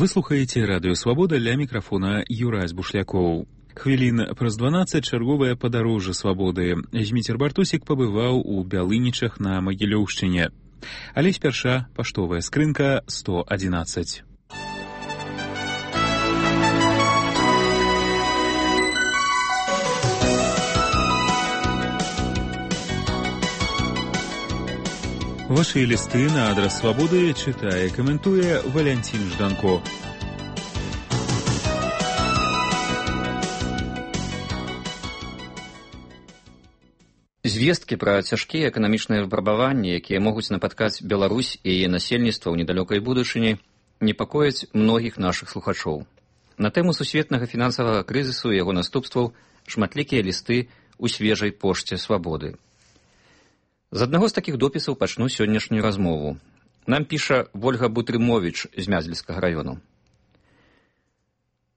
Вы слухаеце радыё Свабода, ля мікрафона Юрась Бушлякоў. Хвілін праз 12 чарговае падарожжа свабоды. Зміцер Бартусік пабываў у Бялынічах на Магілёўшчыне. Але спярша паштовая скрынка 111. Ваши листы на адрес Свободы читае, каментуе Валянцін Жданко. Звесткі пра цяжкія эканамічныя выпрабаванні, якія могуць напаткаць Беларусь і яе насельніцтва ў недалёкай будучыні, непакояць многіх нашых слухачоў. На тэму сусветнага фінансавага крызісу і яго наступстваў шматлікія лісты ў свежай пошце Свабоды. З аднаго з такіх допісаў пачну сённяшнюю размову. Нам піша Вольга Бутрымовіч з Мязельскага раёну.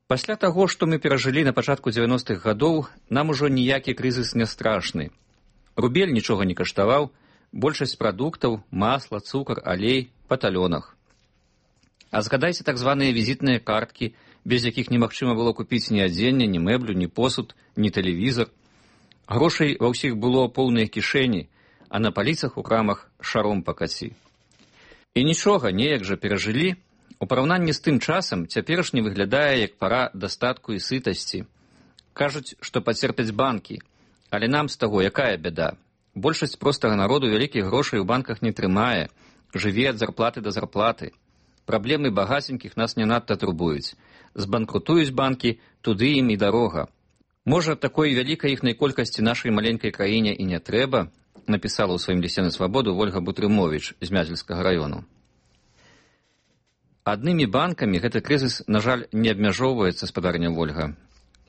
Пасля таго, што мы перажылі на пачатку 90-х гадоў, нам ужо ніякі крызіс не страшны. Рубель нічога не каштаваў, большасць прадуктаў, масла, цукар, алей па талёнах. А згадайце так званыя візітныя карткі, без якіх немагчыма было купіць ні адзенне, ні мэблю, ні посуд, ні тэлевізар. Грошай ва ўсіх было поўныя кішэні, а на паліцах у крамах шаром пакаці. І нічога, неяк жа перажылі. У параўнанні з тым часам цяперашні выглядае як пара дастатку і сытасці. Кажуць, што пацерпяць банкі, але нам з таго якая бяда? Большасць простага народу вялікіх грошай у банках не трымае, жыве ад зарплаты да зарплаты. Праблемы багаценькіх нас не надта турбуюць. Збанкрутуюць банкі, туды ім і дарога. Можа, такой вялікай іхнай колькасці нашай маленькай краіне і не трэба, напісала ў сваім лісце на Свабоду Вольга Бутрымовіч з Мязельскага раёну. Аднымі банкамі гэты крызіс, на жаль, не абмяжоўваецца, спадарня Вольга.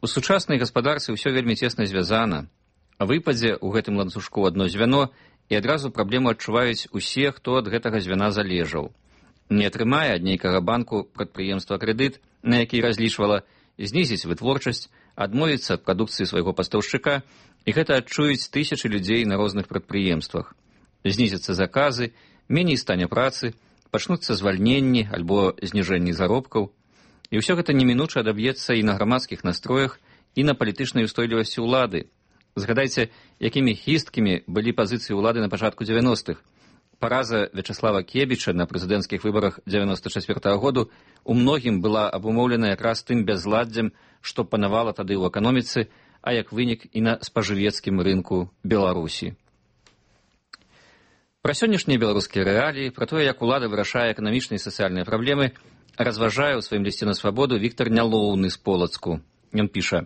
У сучаснай гаспадарцы ўсё вельмі цесна звязана. Выпадзе ў гэтым ланцужку адно звяно, і адразу праблему адчуваюць усе, хто ад гэтага звяна залежаў. Не атрымае ад нейкага банку прадпрыемства крэдыт, на які разлічвала, знізіць вытворчасць, адмовіцца ад прадукцыі свайго пастаўшчыка, і гэта адчуюць тысячы людзей на розных прадпрыемствах. Знізяцца заказы, меней стане працы, пачнуцца звальненні альбо зніжэнні заробкаў. І ўсё гэта немінуча адаб'ецца і на грамадскіх настроях, і на палітычнай устойлівасці ўлады. Згадайце, якімі хісткімі былі пазіцыі ўлады на пачатку 90-х. Параза Вячаслава Кебіча на прэзідэнцкіх выбарах 94-го году у многім была абумоўлена якраз тым бязладдзем, што панавала тады ў эканоміцы, а як вынік і на спажывецкім рынку Беларусі. Пра сённяшнія беларускія рэаліі, пра тое, як улада вырашае эканамічныя і сацыяльныя праблемы, разважае ў сваім лісце на Свабоду Віктар Нялоўны з Полацку. Ён піша: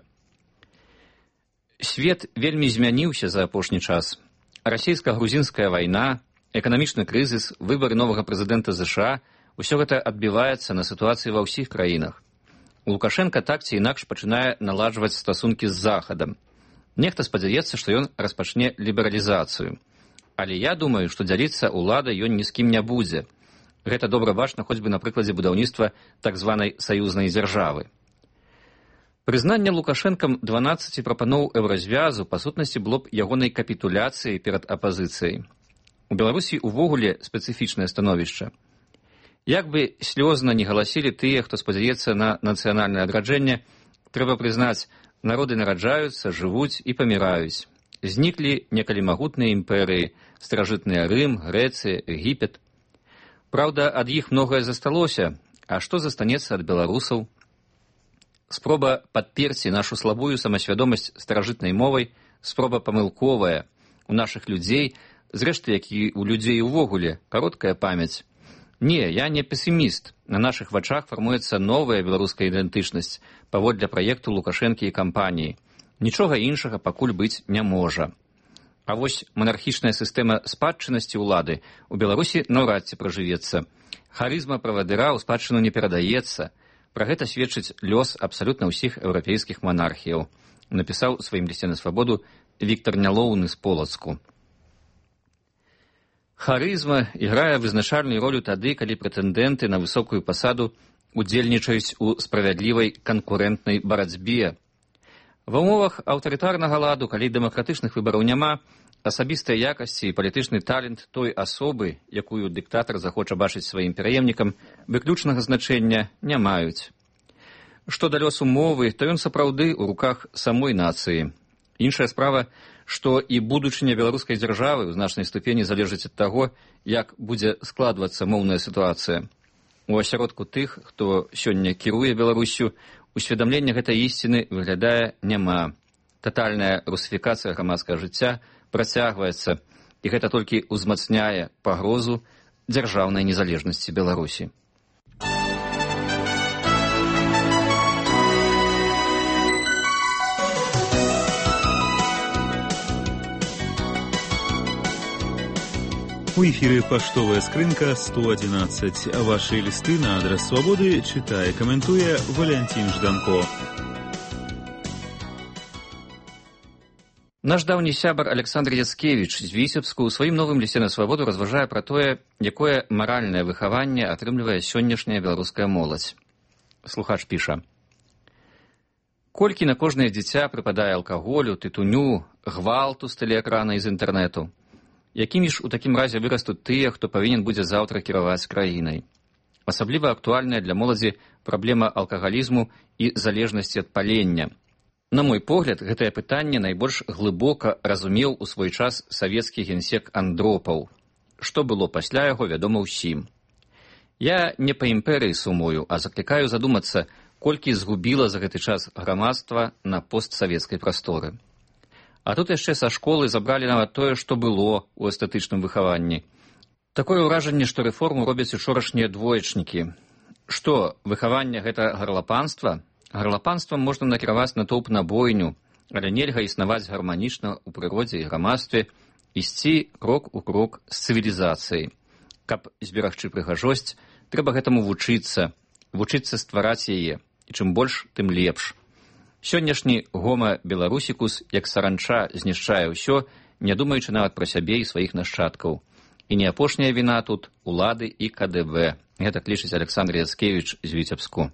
«Свет вельмі змяніўся за апошні час. Расійска-грузінская вайна, эканамічны крызіс, выбары новага прэзідэнта ЗША – усё гэта адбіваецца на сітуацыі ва ўсіх краінах. Лукашенка так ці інакш пачынае наладжваць стасункі з Захадам. Нехта спадзяецца, што ён распачне лібералізацыю. Але я думаю, што дзяліцца ўладай ён ні з кім не будзе. Гэта добра бачна хоць бы на прыкладзе будаўніцтва так званай саюзнай дзяржавы. Прызнанне Лукашэнкам 12 прапаноў еўразвязу па сутнасці было б ягонай капітуляцыяй перад апазіцыяй. У Беларусі ўвогуле спецыфічнае становішча. Як бы слёзна не галасілі тыя, хто спадзяецца на нацыянальнае адраджэнне, трэба прызнаць, народы нараджаюцца, жывуць і паміраюць. Зніклі некалі магутныя імперыі, старажытныя Рым, Грэцыя, Егіпет. Праўда, ад іх многае засталося, а што застанецца ад беларусаў? Спроба падперці нашу слабую самасвядомасць старажытнай мовай, спроба памылковая. У нашых людзей, зрэшты, як і у людзей увогуле, кароткая памяць. Не, я не песіміст. На нашых вачах фармуецца новая беларуская ідэнтычнасць паводле праекту Лукашэнкі і кампаніі. Нічога іншага пакуль быць не можа. А вось манархічная сістэма спадчыннасці ўлады у Беларусі наўрад ці пражывецца. Харызма правадыра ў спадчыну не перадаецца. Пра гэта сведчыць лёс абсалютна ўсіх еўрапейскіх манархіяў, напісаў у сваім лісце на Свабоду Віктар Нялоўны з Полацку. Харызма іграе вызначальную ролю тады, калі прэтэндэнты на высокую пасаду удзельнічаюць у справядлівай канкурэнтнай барацьбе. Ва ўмовах аўтарытарнага ладу, калі дэмакратычных выбараў няма, асабістыя якасці і палітычны талент той асобы, якую дыктатар захоча бачыць сваім пераемнікам, выключнага значэння не маюць. Што да лёсу мовы, то ён сапраўды ў руках самой нацыі. Іншая справа, што і будучыня беларускай дзяржавы ў значнай ступені залежыць ад таго, як будзе складвацца моўная сітуацыя. У асяродку тых, хто сёння кіруе Беларуссю, усведамлення гэтай ісціны выглядае няма. Татальная русіфікацыя грамадскага жыцця працягваецца, і гэта толькі ўзмацняе пагрозу дзяржаўнай незалежнасці Беларусі. У эфире «Поштовая скрынка» 111. Ваши листы на адрес «Свободы» читая и комментуя Валентин Жданко. Наш даўні сябар Александр Яцкевіч з Віцебску ў сваім новым лісце на свабоду разважае пра тое, якое маральнае выхаванне атрымлівае сённяшняя беларуская моладзь. Слухач піша: «Колькі на кожнае дзіця прыпадае алкаголю, тытуню, гвалту з тэлеэкрана і з інтэрнэту? Якімі ж у такім разе вырастуць тыя, хто павінен будзе заўтра кіраваць краінай? Асабліва актуальная для моладзі праблема алкагалізму і залежнасці ад палення. На мой погляд, гэтае пытанне найбольш глыбока разумеў у свой час савецкі генсек Андропаў. Што было пасля яго, вядома ўсім. Я не па імперыі сумую, а заклікаю задумацца, колькі згубіла за гэты час грамадства на постсавецкай прасторы. А тут яшчэ са школы забралі нават тое, што было ў эстэтычным выхаванні. Такое ўражанне, што рэформу робяць учорашнія двоечнікі. Што, выхаванне гэта гарлапанства? Гарлапанствам можна накіраваць натоўп на бойню, але нельга існаваць гарманічна ў прыродзе і грамадстве, ісці крок у крок з цывілізацыяй. Каб зберагчы прыгажосць, трэба гэтаму вучыцца ствараць яе, і чым больш, тым лепш. Сённяшні гома беларусікус, як саранча, знішчае ўсё, не думаючы нават пра сябе і сваіх нашчадкаў. І не апошняя віна тут улады і КДБ. Гэтак лічыць Александр Яцкевіч з Віцебску.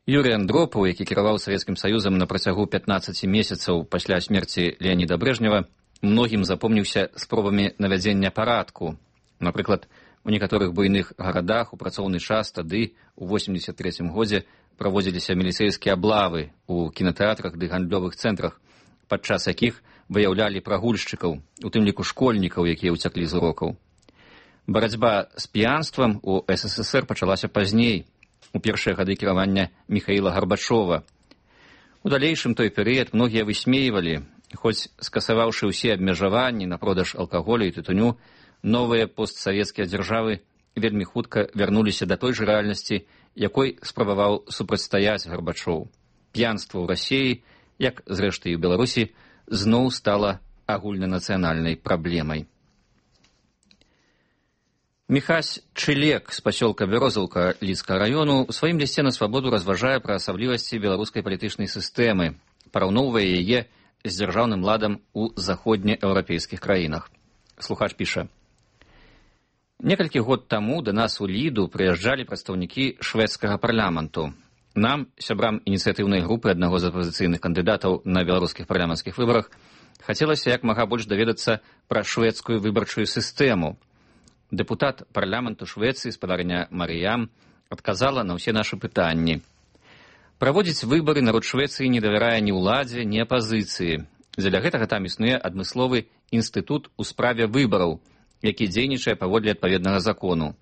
Юрый Андропаў, які кіраваў Савецкім Саюзам на працягу 15 месяцаў пасля смерці Леаніда Брэжнева, многім запомніўся спробамі навядзення парадку. Напрыклад, у некаторых буйных гарадах у працоўны час тады, у 83-м годзе, праводзіліся міліцэйскія аблавы ў кінатэатрах ды гандлёвых цэнтрах, падчас якіх выяўлялі прагульшчыкаў, у тым ліку школьнікаў, якія ўцяклі з урокаў. Барацьба з п'янствам у СССР пачалася пазней, у першыя гады кіравання Міхаіла Гарбачова. У далейшым той перыяд многія высмейвалі, хоць скасаваўшы ўсе абмежаванні на продаж алкаголю і тытуню, новыя постсавецкія дзяржавы вельмі хутка вярнуліся да той жа рэальнасці, якой спрабаваў супрацьстаяць Гарбачоў. П'янства ў Расіі, як зрэшты і ў Беларусі, зноў стала агульнанацыянальнай праблемай. Міхась Чылек з пасёлка Бярозаўка Лідскага раёну у сваім лісце на свабоду разважае пра асаблівасці беларускай палітычнай сістэмы, параўноўвае яе з дзяржаўным ладам у заходнееўрапейскіх краінах. Слухач піша: «Некалькі год таму да нас у Ліду прыязджалі прадстаўнікі шведскага парламенту. Нам, сябрам ініцыятыўнай групы аднаго з апазіцыйных кандыдатаў на беларускіх парламенцкіх выбарах, хацелася як мага больш даведацца пра шведскую выбарчую сістэму. Дэпутат парламенту Швецыі, спадарня Марыям, адказала на ўсе нашы пытанні. Праводзіць выбары народ Швецыі не давярае ні ўладзе, ні апазіцыі. Дзеля гэтага там існуе адмысловы інстытут у справе выбараў, які дзейнічае паводле адпаведнага закону.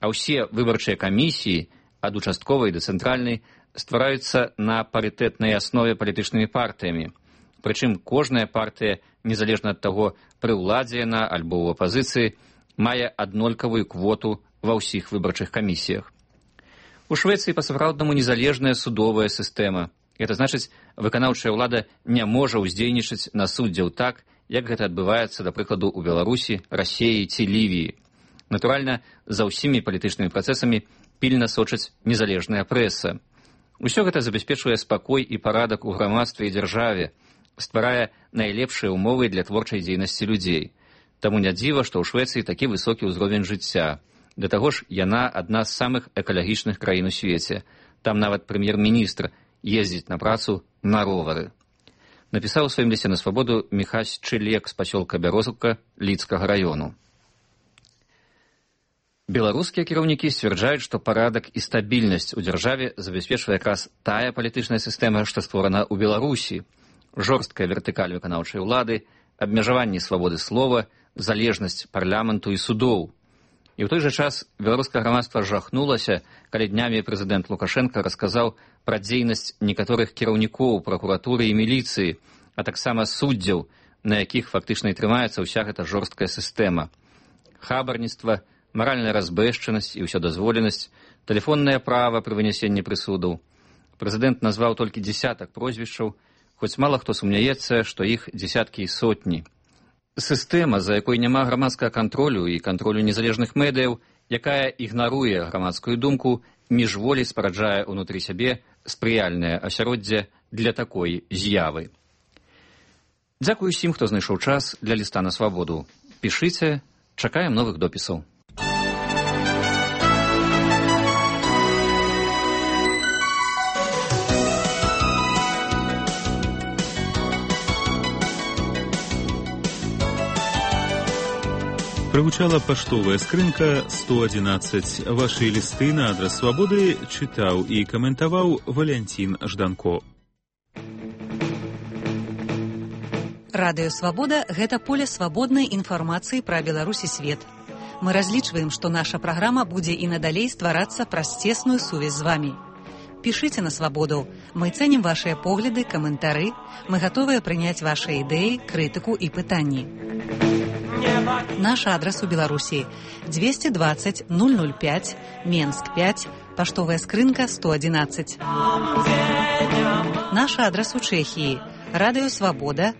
А ўсе выбарчыя камісіі, ад участковай да цэнтральнай, ствараюцца на парытэтнай аснове палітычнымі партыямі. Прычым кожная партыя, незалежна ад таго, пры ўладзе яна альбо ў апазіцыі, мае аднолькавую квоту ва ўсіх выбарчых камісіях. У Швецыі па-сапраўднаму незалежная судовая сістэма. Гэта значыць, выканаўчая ўлада не можа ўздзейнічаць на суддзяў так, як гэта адбываецца, да прыкладу, у Беларусі, Расіі ці Лівіі. Натуральна, за ўсімі палітычнымі працэсамі пільна сочыць незалежная прэса. Усё гэта забяспечвае спакой і парадак у грамадстве і дзяржаве, стварае найлепшыя ўмовы для творчай дзейнасці людзей. Таму не дзіва, што ў Швецыі такі высокі ўзровень жыцця. Да таго ж, яна адна з самых экалагічных краін у свеце. Там нават прэм'ер-міністр ездзіць на працу на ровары. Напісаў у сваім лісце на свабоду Міхась Чылек з пасёлка Бярозаўка Лідскага раёну. Беларускія кіраўнікі сцвярджаюць, што парадак і стабільнасць у дзяржаве забяспечвае якраз тая палітычная сістэма, што створана ў Беларусі. Жорсткая вертыкаль выканаўчай улады, абмежаванне свабоды слова, залежнасць парламенту і судоў. І ў той жа час беларускае грамадства жахнулася, калі днямі прэзідэнт Лукашенка расказаў пра дзейнасць некаторых кіраўнікоў пракуратуры і міліцыі, а таксама суддзяў, на якіх фактычна і трымаецца ўся гэта жорсткая сістэма. Хабарніцтва, маральная разбэшчанасць і ўсёдазволенасць, тэлефоннае права пры вынясенні прысудаў. Прэзідэнт назваў толькі дзесятак прозвішчаў, хоць мала хто сумняецца, што іх дзесяткі і сотні. Сістэма, за якой няма грамадскага кантролю і кантролю незалежных медыяў, якая ігнаруе грамадскую думку, міжволі спараджае ўнутры сябе спрыяльнае асяроддзе для такой з'явы. Дзякую усім, хто знайшоў час для ліста на свабоду. Пішыце, чакаем новых допісаў. Прагучала паштовая скрынка 111. Вашы лісты на адрас свабоды чытаў і каментаваў Валянцін Жданко. Радыё Свабода – гэта поле свабоднай інфармацыі пра Беларусь і свет. Мы разлічваем, што наша праграма будзе і надалей стварацца праз цесную сувязь з вамі. Пішыце на свабоду. Мы цэнім вашыя погляды, каментары. Мы гатовыя прыняць вашыя ідэі, крытыку і пытанні. Наш адрас у Беларусі 220 005, Менск 5, паштовая скрынка 111. Наш адрас у Чэхіі. Радыё Свабода,